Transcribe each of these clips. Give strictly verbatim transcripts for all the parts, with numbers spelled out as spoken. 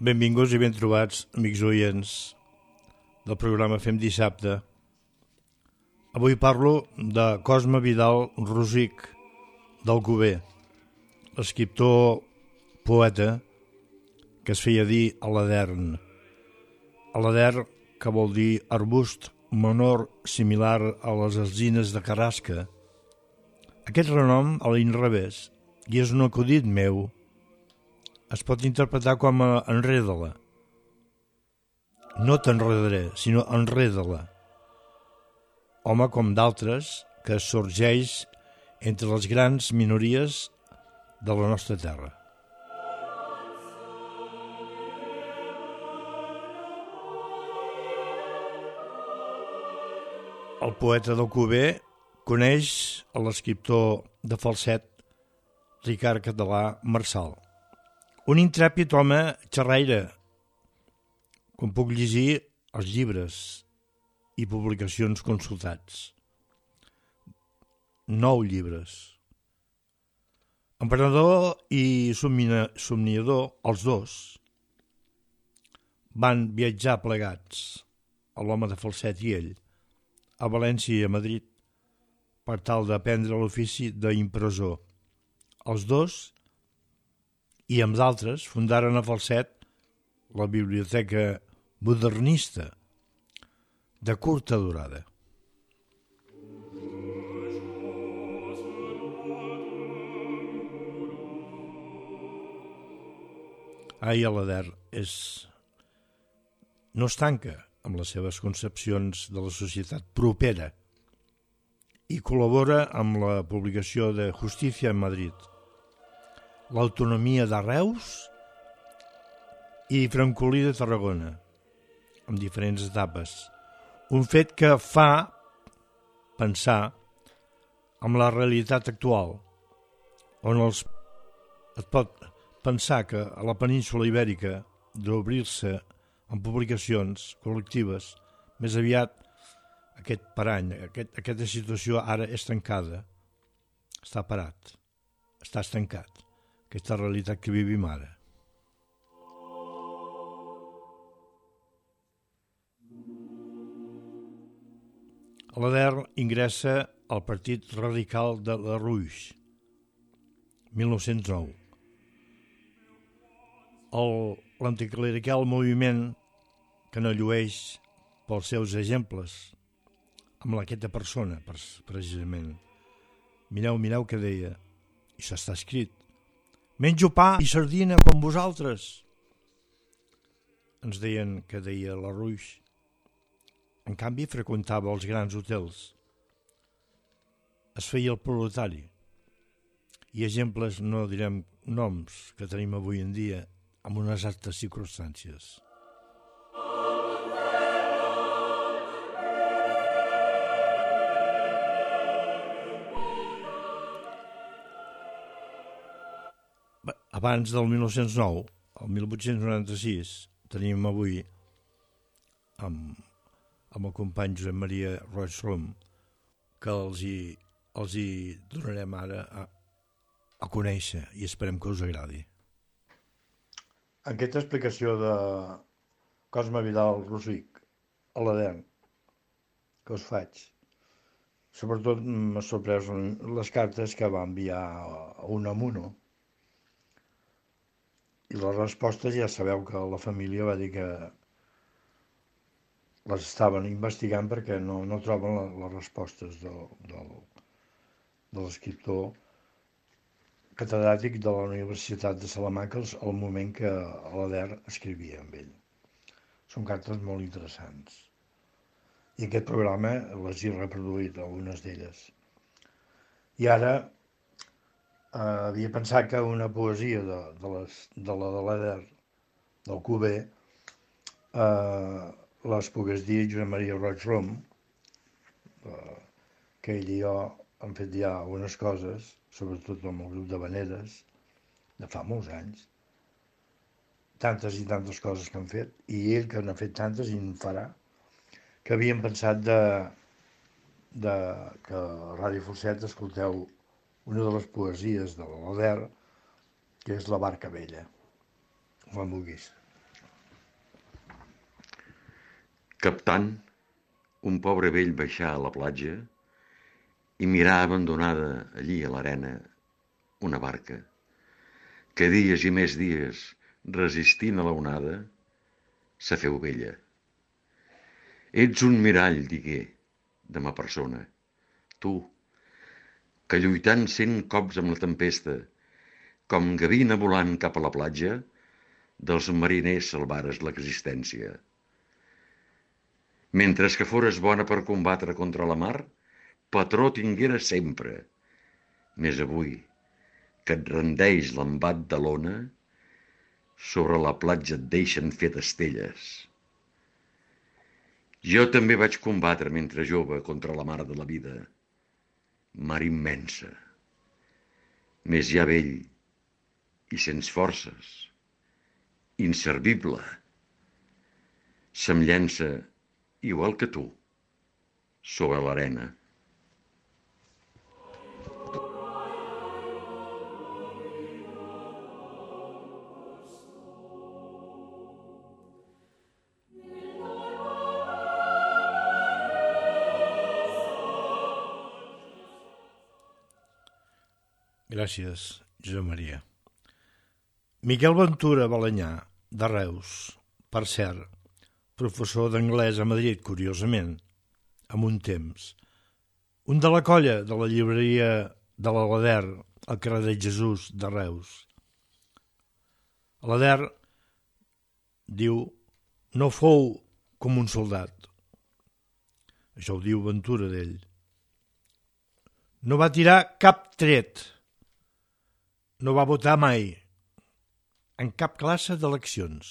Benvinguts i ben trobats, amics oients del programa Fem Dissabte. Avui parlo de Cosme Vidal Rosic, d'Alcover, l'escriptor poeta que es feia dir Aladern. Aladern, que vol dir arbust menor similar a les alzines de Carrasca. Aquest renom, a l'inrevés, i és un acudit meu, es pot interpretar com a enreda-la. No t'enredaré, sinó enreda-la. Home com d'altres que sorgeix entre les grans minories de la nostra terra. El poeta d'Alcover coneix l'escriptor de falset Ricard Català Marçal. Un intrèpid home xerraire, com puc llegir els llibres i publicacions consultats. Nou llibres. Emprenedor i somniador, els dos, van viatjar plegats, l'home de falset i ell, a València i a Madrid, per tal d'aprendre l'ofici d'impressor. Els dos, i amb d'altres, fundaren a Falset la biblioteca modernista de curta durada. Ai, Aladern és... no es tanca amb les seves concepcions de la societat propera i col·labora amb la publicació de Justícia en Madrid, l'autonomia de Reus i Francolí de Tarragona, en diferents etapes. Un fet que fa pensar en la realitat actual, on els, es pot pensar que a la península ibèrica d'obrir-se en publicacions col·lectives, més aviat aquest parany, aquest, aquesta situació ara és tancada, està parat, està estancat. Aquesta realitat que vivim ara. Aladern ingressa al Partit Radical de la Ruix, mil nou-cents nou. L'anticlerical moviment que no llueix pels seus exemples, amb aquesta persona, precisament. Mireu, mireu què deia, i això està escrit. Menjo pa i sardina com vosaltres. Ens deien que deia la Ruix. En canvi, freqüentava els grans hotels. Es feia el proletari. I exemples, no direm noms, que tenim avui en dia, amb unes altres circumstàncies. Abans del mil nou-cents nou, el mil vuit-cents noranta-sis, tenim avui, amb, amb el company Josep Maria Roig Rom, que els hi, els hi donarem ara a, a conèixer i esperem que us agradi. Aquesta explicació de Cosme Vidal Rosic, Aladern, que us faig, sobretot m'ha sorprès les cartes que va enviar a Unamuno. I les respostes ja sabeu que la família va dir que les estaven investigant perquè no, no troben la, les respostes del, del, de l'escriptor catedràtic de la Universitat de Salamanca al moment que Aladern escrivia amb ell. Són cartes molt interessants. I aquest programa les he reproduït, algunes d'elles. I ara Uh, havia pensat que una poesia de, de, les, de la de l'Aladern, d'Alcover, uh, les pogués dir Josep Maria Roig Rom, uh, que ell i jo hem fet ja algunes coses, sobretot amb el grup de Veneres, de fa molts anys, tantes i tantes coses que han fet, i ell que n'ha fet tantes i en farà, que havíem pensat de, de que a Ràdio Falset escolteu una de les poesies de l'Aladern, que és La barca vella, quan vulguis. captant un pobre vell baixar a la platja i mirar abandonada allí a l'arena una barca que dies i més dies, resistint a la onada, se feu vella. Ets un mirall, digué, de ma persona, tu, que lluitant cent cops amb la tempesta, com gavina volant cap a la platja, dels mariners salvares l'existència. Mentre que fores bona per combatre contra la mar, patró tingueres sempre. Més avui, que et rendeix l'embat de l'ona, sobre la platja et deixen fer d'estelles. Jo també vaig combatre mentre jove contra la mar de la vida, mar immensa, més ja vell i sens forces, inservible, se'm llença, igual que tu, sobre l'arena. Gràcies, Josep Maria. Miquel Ventura Balenyà, de Reus, per cert, professor d'anglès a Madrid, curiosament, amb un temps. Un de la colla de la llibreria de l'Alader, al carrer de Jesús, de Reus. Alader diu, no fou com un soldat. Això ho diu Ventura d'ell. No va tirar cap tret. No va votar mai en cap classe d'eleccions,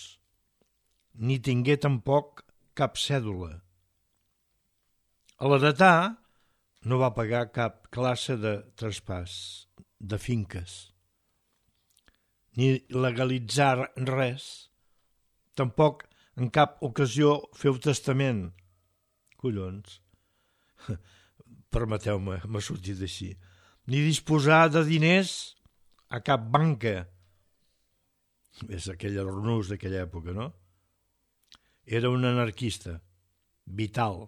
ni tingué tampoc cap cèdula. A l'heretà no va pagar cap classe de traspàs, de finques, ni legalitzar res, tampoc en cap ocasió feu testament. Collons, permeteu-me, m'ha sortit així. Ni disposar de diners a cap banca. És aquell arnús d'aquella època, no? Era un anarquista, vital.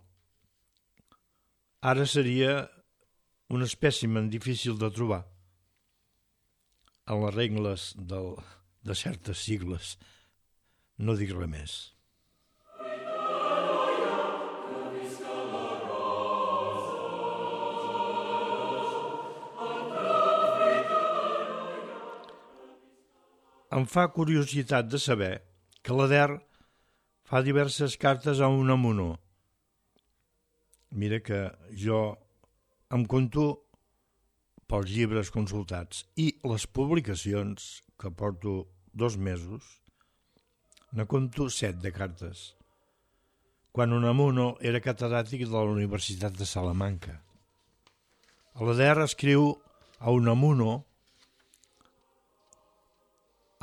Ara seria un espècimen difícil de trobar en les regles del, de certes sigles. No dic res més. Em fa curiositat de saber que l'Ader fa diverses cartes a Unamuno. Mira que jo em conto pels llibres consultats i les publicacions, que porto dos mesos, ne conto set de cartes, quan Unamuno era catedràtic de la Universitat de Salamanca. L'Ader escriu a Unamuno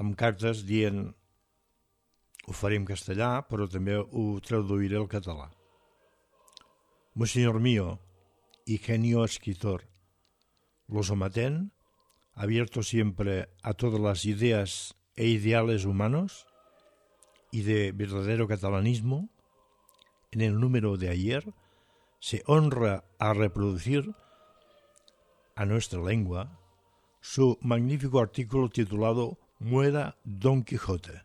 amb cartes dient ho faré en castellà, però també ho traduiré al català. Monseñor mío y genio escritor, lo somatén, abierto siempre a todas las ideas e ideales humanos y de verdadero catalanismo, en el número de ayer se honra a reproducir a nuestra lengua su magnífico artículo titulado Muera Don Quijote,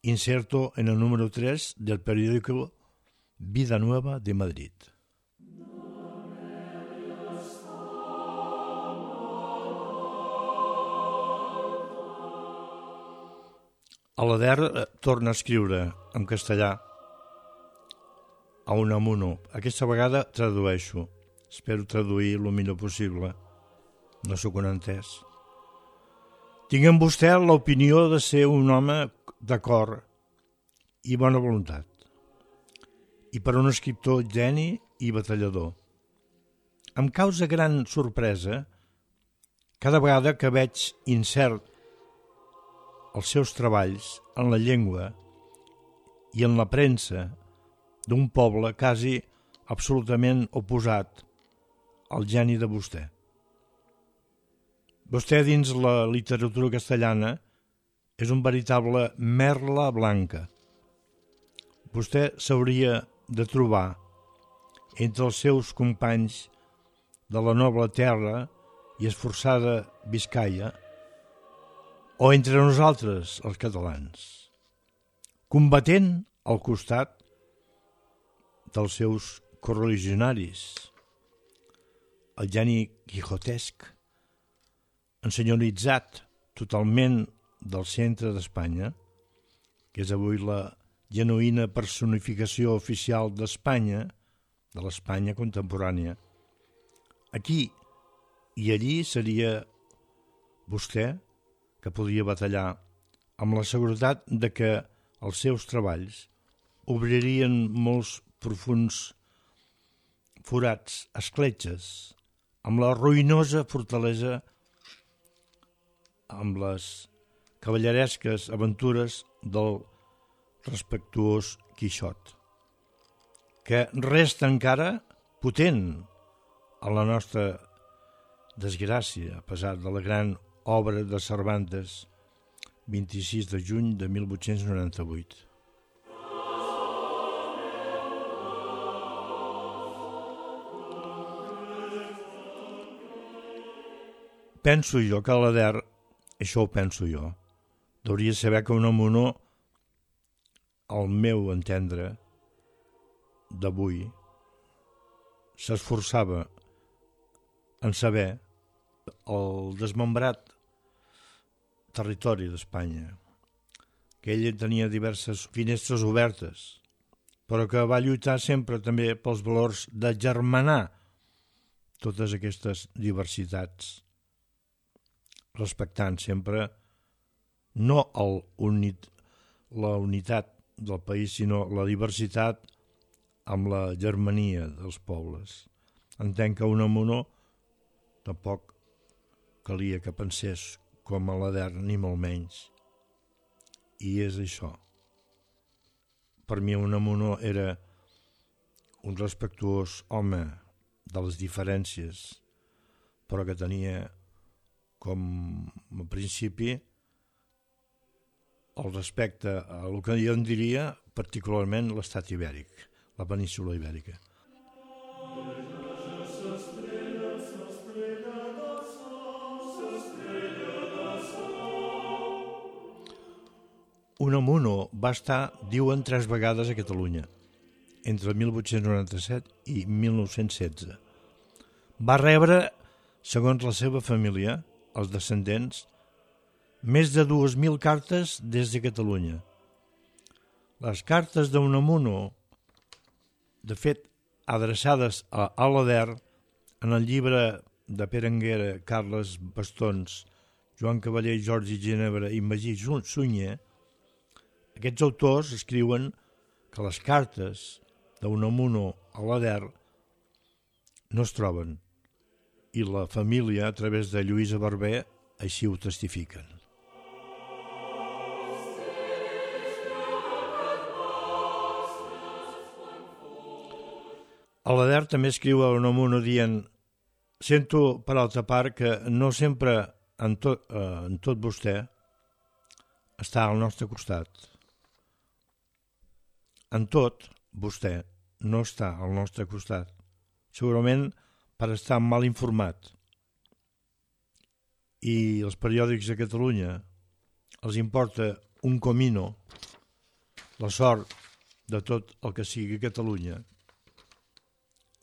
inserto en el número tres del periódico Vida Nueva de Madrid. L'Ader torna a escriure en castellà a Unamuno. Aquesta vegada tradueixo. Espero traduir el millor possible. No sóc un entès. Tinc en vostè l'opinió de ser un home d'acord i bona voluntat, i per un escriptor geni i batallador. Em causa gran sorpresa cada vegada que veig incert els seus treballs en la llengua i en la premsa d'un poble quasi absolutament oposat al geni de vostè. Vostè, dins la literatura castellana, és un veritable merla blanca. Vostè s'hauria de trobar entre els seus companys de la noble terra i esforçada Biscaia, o entre nosaltres, els catalans, combatent al costat dels seus correligionaris, el geni quixotesc, ensenyoritzat totalment del centre d'Espanya, que és avui la genuïna personificació oficial d'Espanya, de l'Espanya contemporània. Aquí i allí seria vostè que podria batallar amb la seguretat de que els seus treballs obririen molts profunds forats, escletxes, amb la ruïnosa fortalesa, amb les cavalleresques aventures del respectuós Quixot, que resta encara potent a la nostra desgràcia, a pesar de la gran obra de Cervantes, vint-i-sis de juny de mil vuit-cents noranta-vuit. Penso jo que l'Ader, això ho penso jo, hauria de saber que Unamuno, al meu entendre d'avui, s'esforçava en saber el desmembrat territori d'Espanya, que ell tenia diverses finestres obertes, però que va lluitar sempre també pels valors d'agermanar totes aquestes diversitats, respectant sempre no el unit, la unitat del país, sinó la diversitat amb la germania dels pobles. Entenc que Unamuno tampoc calia que pensés com a l'Ader, ni molt menys. I és això. Per mi Unamuno era un respectuós home de les diferències, però que tenia com a principi el respecte a el que jo en diria particularment l'estat ibèric, la península ibèrica. Unamuno va estar, diuen, tres vegades a Catalunya, entre mil vuit-cents noranta-set i mil nou-cents setze. Va rebre, segons la seva família, els descendents, més de dues mil cartes des de Catalunya. Les cartes d'Unamuno, de fet, adreçades a l'Ader, en el llibre de Pere Anguera, Carles Bastons, Joan Cavaller, Jordi Ginebra i Magí Sunyer, aquests autors escriuen que les cartes d'Unamuno a l'Ader no es troben, i la família, a través de Lluïsa Barber, així ho testifiquen. A l'Ader també escriu a Unamuno dient: sento per altra part que no sempre en tot, eh, en tot vostè està al nostre costat. En tot vostè no està al nostre costat, segurament per estar mal informat. I els periòdics de Catalunya els importa un comino la sort de tot el que sigui Catalunya.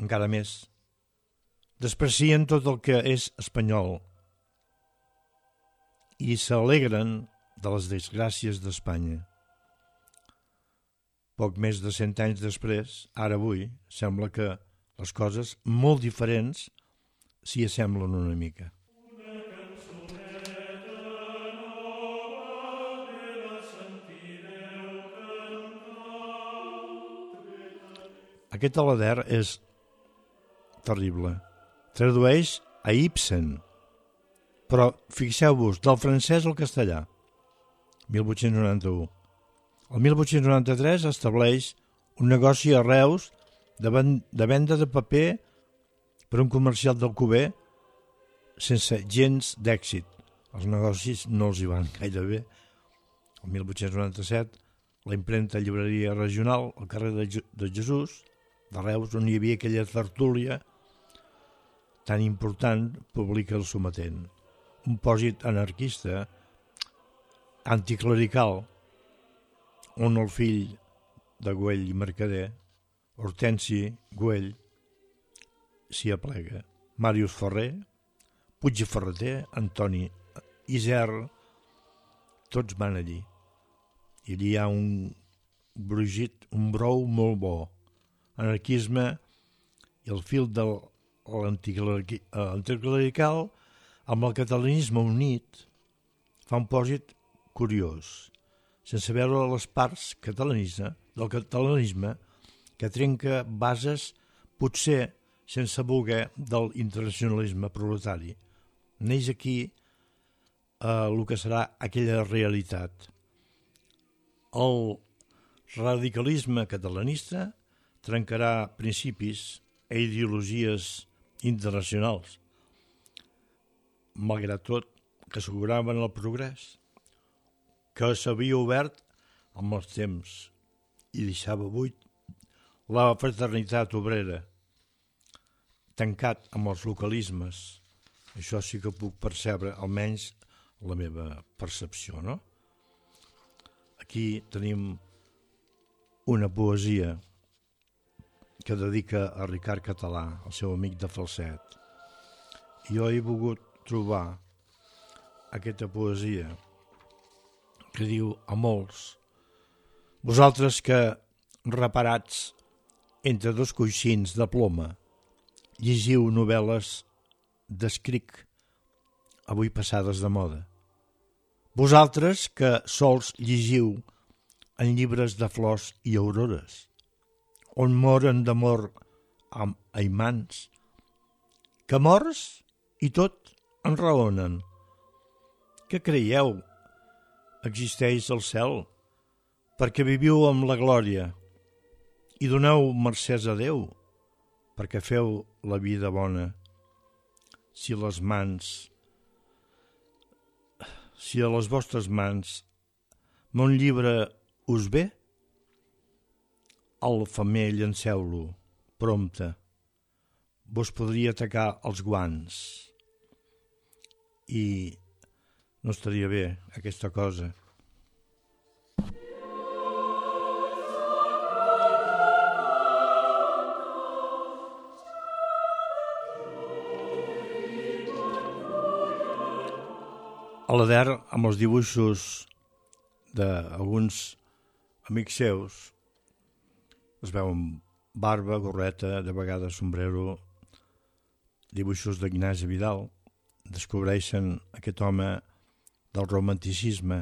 Encara més, desprecien tot el que és espanyol i s'alegren de les desgràcies d'Espanya. Poc més de cent anys després, ara avui, sembla que les coses molt diferents s'hi assemblen una mica. Aquest l'Ader és terrible. Tradueix a Ibsen, però fixeu-vos, del francès al castellà, mil vuit-cents noranta-u. El mil vuit-cents noranta-tres estableix un negoci a Reus de, ven- de venda de paper per un comercial d'Alcover sense gens d'èxit. Els negocis no els hi van gaire bé. El mil vuit-cents noranta-set la impremta llibreria regional al carrer de, Je de Jesús, de Reus, on hi havia aquella tertúlia tan important, publica El Sometent, un pòsit anarquista, anticlerical, on el fill de Güell i Mercader, Hortensi Güell, s'hi aplega. Màrius Ferrer, Puig i Ferreter, Antoni Isern, tots van allí. I allí hi ha un brugit, un brou molt bo. Anarquisme i el fil de l'anticlerical amb el catalanisme unit fa un pòsit curiós, sense veure les parts catalanisme, del catalanisme que trenca bases, potser sense voler, del internacionalisme proletari. Neix aquí eh, el que serà aquella realitat. El radicalisme catalanista trencarà principis i ideologies internacionals, malgrat tot que asseguraven el progrés, que s'havia obert amb els temps i deixava buit la fraternitat obrera, tancat amb els localismes. Això sí que puc percebre, almenys la meva percepció, no? Aquí tenim una poesia que dedica a Ricard Català, el seu amic de Falset. I jo he volgut trobar aquesta poesia que diu a molts: vosaltres que, reparats entre dos coixins de ploma, llegiu novel·les d'escric avui passades de moda. Vosaltres que sols llegiu en llibres de flors i aurores, on moren d'amor amb aimants, que morts i tot enraonen. Què creieu? Existeix el cel perquè viviu amb la glòria i doneu mercès a Déu perquè feu la vida bona. Si les mans, si a les vostres mans mon llibre us ve, al femer llanceu-lo prompte, vos podria atacar els guants i no estaria bé aquesta cosa. A l'Ader, amb els dibuixos d'alguns amics seus, es veuen barba, gorreta, de vegades sombrero, dibuixos d'Ignasi Vidal, descobreixen aquest home del romanticisme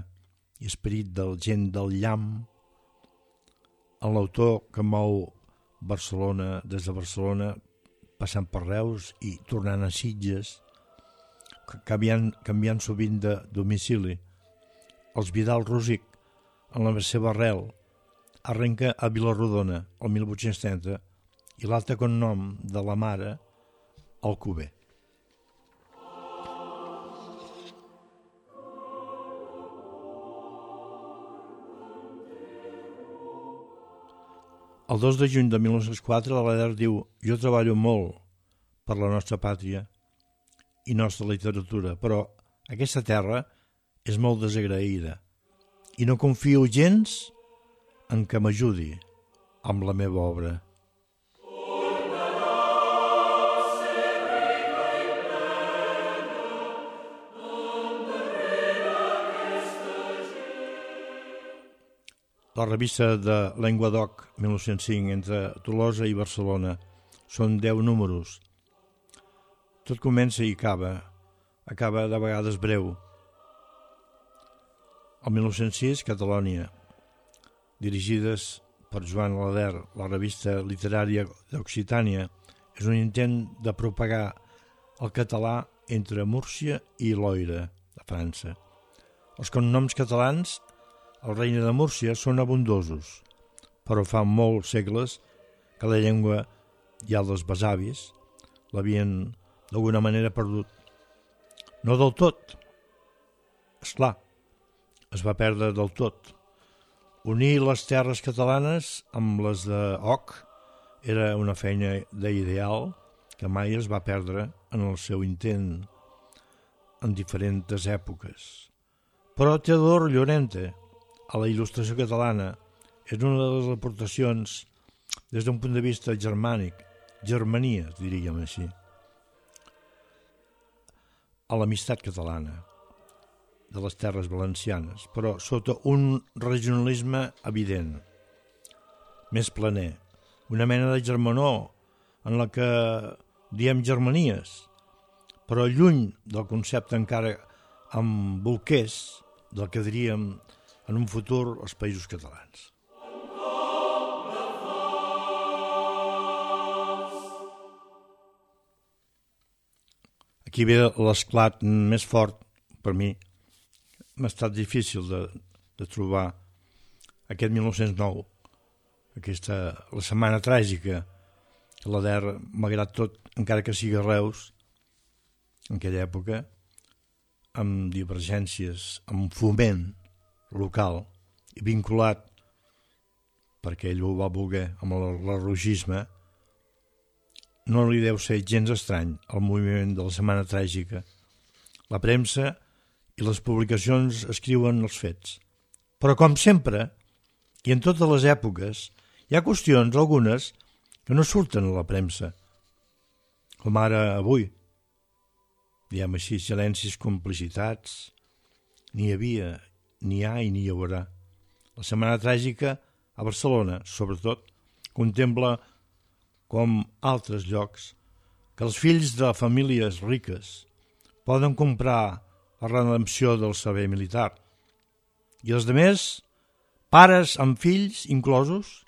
i esperit del gent del llamp, en l'autor que mou Barcelona, des de Barcelona, passant per Reus i tornant a Sitges, canviant, canviant sovint de domicili. Els Vidal Rosic, en la seva arrel, arrenca a Vilarrodona el mil vuit-cents trenta i l'altre cognom de la mare, Alcover. El dos de juny de mil nou-cents quatre, l'Ader diu: jo treballo molt per la nostra pàtria i nostra literatura, però aquesta terra és molt desagraïda i no confio gens en què m'ajudi amb la meva obra. La revista de Llenguadoc, mil nou-cents cinc, entre Tolosa i Barcelona. Són deu números. Tot comença i acaba. Acaba de vegades breu. El mil nou-cents sis, Catalònia. Dirigides per Joan Alader, la revista literària d'Occitània, és un intent de propagar el català entre Múrcia i Loira, de França. Els cognoms catalans al Regne de Múrcia són abundosos, però fa molts segles que la llengua i els besavis l'havien d'alguna manera perdut. No del tot, esclar, es va perdre del tot. Unir les terres catalanes amb les d'Oc era una feina d'ideal que mai es va perdre en el seu intent en diferents èpoques. Però Teodor Llorente, a la il·lustració catalana, és una de les aportacions des d'un punt de vista germànic, germania, diríem així, a l'amistat catalana de les terres valencianes, però sota un regionalisme evident, més planer, una mena de germanor en la que diem germanies, però lluny del concepte encara amb bolquers del que diríem en un futur els països catalans. Aquí ve l'esclat més fort per mi. M'ha estat difícil de, de trobar aquest mil nou-cents nou, aquesta, la setmana tràgica, que la D E R, malgrat tot, encara que sigui a Reus, en aquella època, amb divergències, amb foment local i vinculat, perquè ell ho va voler, amb l'erlogisme, no li deu ser gens estrany el moviment de la setmana tràgica. La premsa i les publicacions escriuen els fets. Però com sempre, i en totes les èpoques, hi ha qüestions, algunes, que no surten a la premsa, com ara avui. Diem així, silencis, complicitats, n'hi havia, n'hi ha i n'hi haurà. La setmana tràgica a Barcelona, sobretot, contempla com altres llocs, que els fills de famílies riques poden comprar la redempció del servei militar i els demés, pares amb fills inclosos,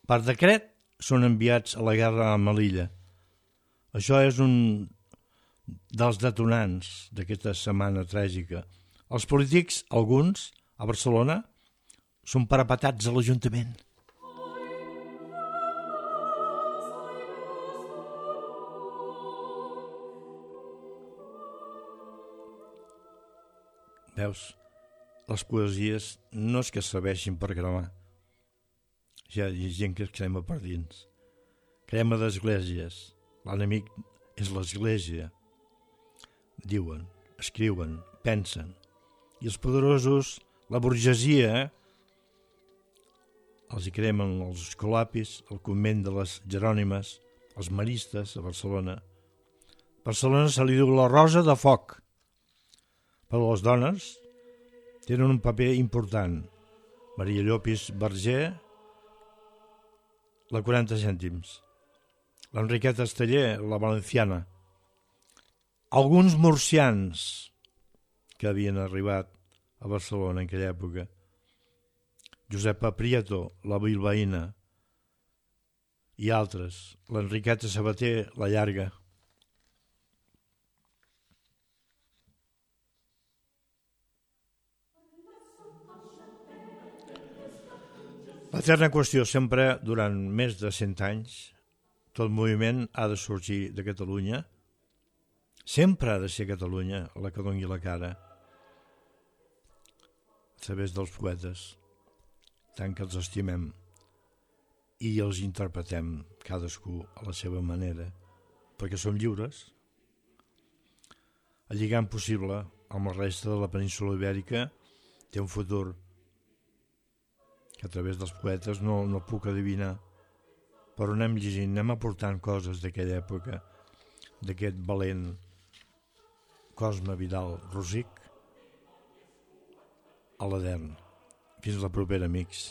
per decret són enviats a la guerra a Melilla. Això és un dels detonants d'aquesta setmana tràgica. Els polítics, alguns, a Barcelona, són parapetats a l'Ajuntament. Veus, les poesies no és que serveixin per cremar. Ja hi ha gent que es crema per dins. Crema d'esglésies. L'enemic és l'església. Diuen, escriuen, pensen. I els poderosos, la burgesia, els hi cremen els escolapis, el convent de les Jerònimes, els maristes a Barcelona. A Barcelona se li diu la rosa de foc. Però les dones tenen un paper important. Maria Llopis Verger, la quaranta cèntims. L'Enriqueta Esteller, la valenciana. Alguns murcians que havien arribat a Barcelona en aquella època. Josepa Prieto, la bilbaïna, i altres. L'Enriqueta Sabater, la llarga. L'eterna qüestió, sempre durant més de cent anys, tot moviment ha de sorgir de Catalunya, sempre ha de ser Catalunya la que doni la cara, a través dels poetes, tant que els estimem i els interpretem cadascú a la seva manera, perquè som lliures. El lligam possible amb la resta de la península ibèrica té un futur que a través dels poetes no, no puc adivinar, però anem llegint, anem aportant coses d'aquella època, d'aquest valent Cosme Vidal Rosic a l'Edern. Fins la propera, amics.